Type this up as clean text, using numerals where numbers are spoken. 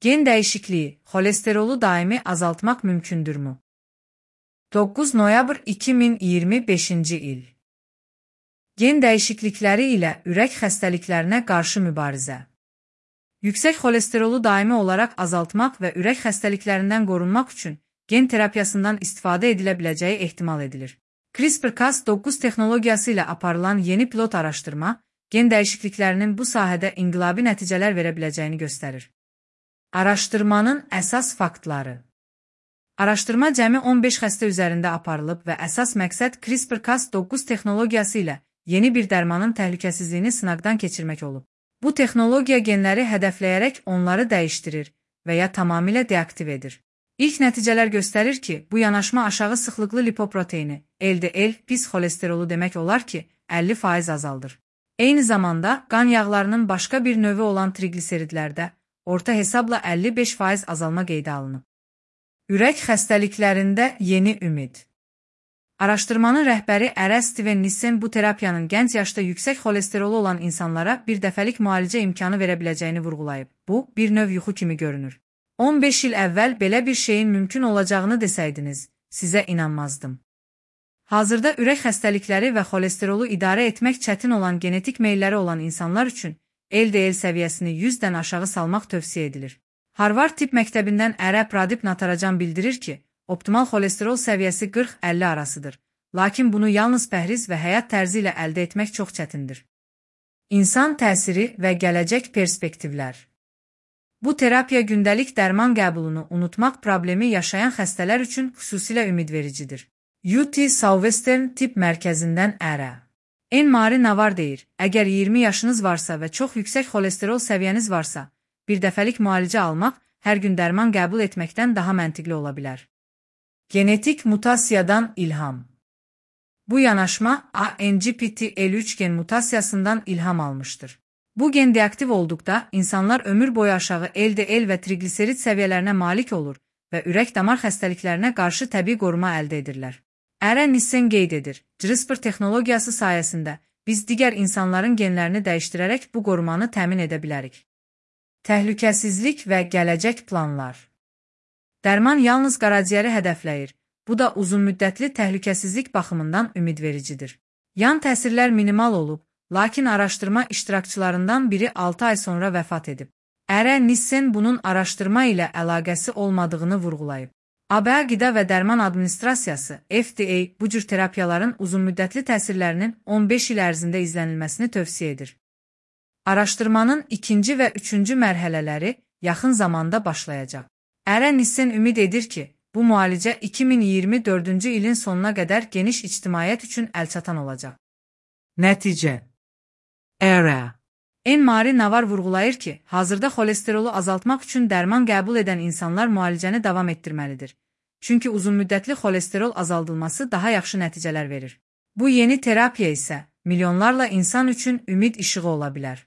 Gen dəyişikliyi, xolesterolu daimi azaltmaq mümkündürmü? 9 noyabr 2025-ci il. Gen dəyişiklikləri ilə ürək xəstəliklərinə qarşı mübarizə. Yüksək xolesterolu daimi olaraq azaltmaq və ürək xəstəliklərindən qorunmaq üçün gen terapiyasından istifadə edilə biləcəyi ehtimal edilir. CRISPR-Cas9 texnologiyası ilə aparılan yeni pilot araşdırma, gen dəyişikliklərinin bu sahədə inqilabi nəticələr verə biləcəyini göstərir. Araşdırmanın əsas faktları. Araşdırma cəmi 15 xəstə üzərində aparılıb və əsas məqsəd CRISPR-Cas9 texnologiyası ilə yeni bir dərmanın təhlükəsizliyini sınaqdan keçirmək olub. Bu texnologiya genləri hədəfləyərək onları dəyişdirir və ya tamamilə deaktiv edir. İlk nəticələr göstərir ki, bu yanaşma aşağı sıxlıqlı lipoproteini, LDL, pis xolesterolu demək olar ki, 50% azaldır. Eyni zamanda, qan yağlarının başqa bir növü olan triqliseridlərdə orta hesabla 55% azalma qeydə alınıb. Ürək xəstəliklərində yeni ümid. Araşdırmanın rəhbəri Ərə Steven Nissen bu terapiyanın gənc yaşda yüksək xolesterolu olan insanlara bir dəfəlik müalicə imkanı verə biləcəyini vurğulayıb. Bu, bir növ yuxu kimi görünür. 15 il əvvəl belə bir şeyin mümkün olacağını desəydiniz, sizə inanmazdım. Hazırda ürək xəstəlikləri və xolesterolu idarə etmək çətin olan genetik meylləri olan insanlar üçün LDL səviyyəsini 100-dən aşağı salmaq tövsiyə edilir. Harvard Tibb Məktəbindən Ərə Pradip Natarajan bildirir ki, optimal xolesterol səviyyəsi 40-50 arasıdır, lakin bunu yalnız pəhriz və həyat tərzi ilə əldə etmək çox çətindir. İnsan təsiri və gələcək perspektivlər. Bu terapiya gündəlik dərman qəbulunu unutmaq problemi yaşayan xəstələr üçün xüsusilə ümidvericidir. UT Southwestern Tibb Mərkəzindən Ərə. Enmari Navar deyir, əgər 20 yaşınız varsa və çox yüksək xolesterol səviyyəniz varsa, bir dəfəlik müalicə almaq hər gün dərman qəbul etməkdən daha məntiqli ola bilər. Genetik mutasiyadan ilham. Bu yanaşma ANGPTL3 gen mutasiyasından ilham almıştır. Bu gen deaktiv olduqda insanlar ömür boyu aşağı LDL və trigliserid səviyyələrinə malik olur və ürək-damar xəstəliklərinə qarşı təbii qoruma əldə edirlər. Ərə Nissen qeyd edir, CRISPR texnologiyası sayəsində biz digər insanların genlərini dəyişdirərək bu qorumanı təmin edə bilərik. Təhlükəsizlik və gələcək planlar. Dərman yalnız qaraciyəri hədəfləyir, bu da uzunmüddətli təhlükəsizlik baxımından ümidvericidir. Yan təsirlər minimal olub, lakin araşdırma iştirakçılarından biri 6 ay sonra vəfat edib. Ərə Nissen bunun araşdırma ilə əlaqəsi olmadığını vurğulayıb. ABŞ Qida və Dərman Administrasiyası, FDA, bu cür terapiyaların uzunmüddətli təsirlərinin 15 il ərzində izlənilməsini tövsiyə edir. Araşdırmanın 2-ci və 3-cü mərhələləri yaxın zamanda başlayacaq. Ərə Nissen ümid edir ki, bu müalicə 2024-cü ilin sonuna qədər geniş ictimaiyyət üçün əlçatan olacaq. Nəticə. Ərə. Enmari Navar vurğulayır ki, hazırda xolesterolu azaltmaq üçün dərman qəbul edən insanlar müalicəni davam etdirməlidir. Çünki uzunmüddətli xolesterol azaldılması daha yaxşı nəticələr verir. Bu yeni terapiya isə milyonlarla insan üçün ümid işığı ola bilər.